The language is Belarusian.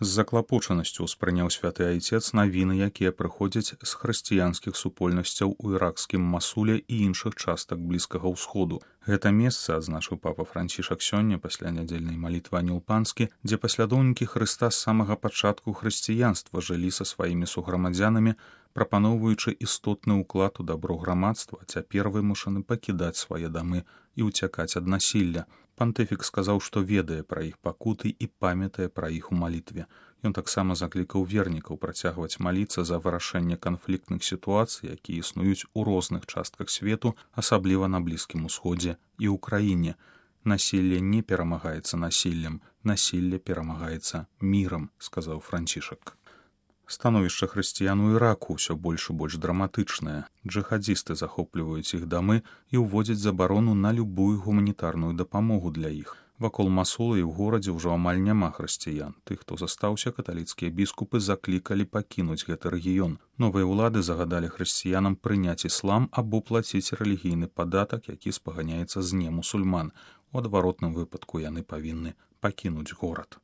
З заклапочанасцю ўспрыняў святы айцец навіны, якія прыходзяць з хрысціянскіх супольнасцяў у іракскім Масуле і іншых частак блізкага ўсходу. Гэта месца, адзначыў папа Францішак сёння пасля нядзельнай малітвы Анёл Панскі, дзе паслядоўнікі Хрыста з самага пачатку хрысціянства жылі са сваімі суграмадзянамі, прапаноўваючы істотны ўклад у дабро грамадства, а цяпер вымушаны пакідаць свае дамы і ўцякаць ад насілля. Пантыфік сказаў, што ведае пра іх пакуты і памятае пра іх у малітве. Ён таксама заклікаў вернікаў працягваць маліцца за вырашэнне канфліктных сітуацый, якія існуюць у розных частках свету, асабліва на Блізкім Усходзе і ў краіне. Насілле не перамагаецца насіллем, насілле перамагаецца мірам, сказаў Францішак. Становішча хрысціян у Іраку ўсё больш і больш драматычнае. Джыхадзісты захопліваюць іх дамы і ўводзяць забарону на любую гуманітарную дапамогу для іх. Вакол Масула і ў горадзе ўжо амаль няма хрысціян. Тых, хто застаўся, каталіцкія біскупы заклікалі пакінуць гэты рэгіён. Новыя ўлады загадалі хрысціянам прыняць іслам або плаціць рэлігійны падатак, які спаганяецца з немусульман. У адваротным выпадку яны павінны пакінуць горад.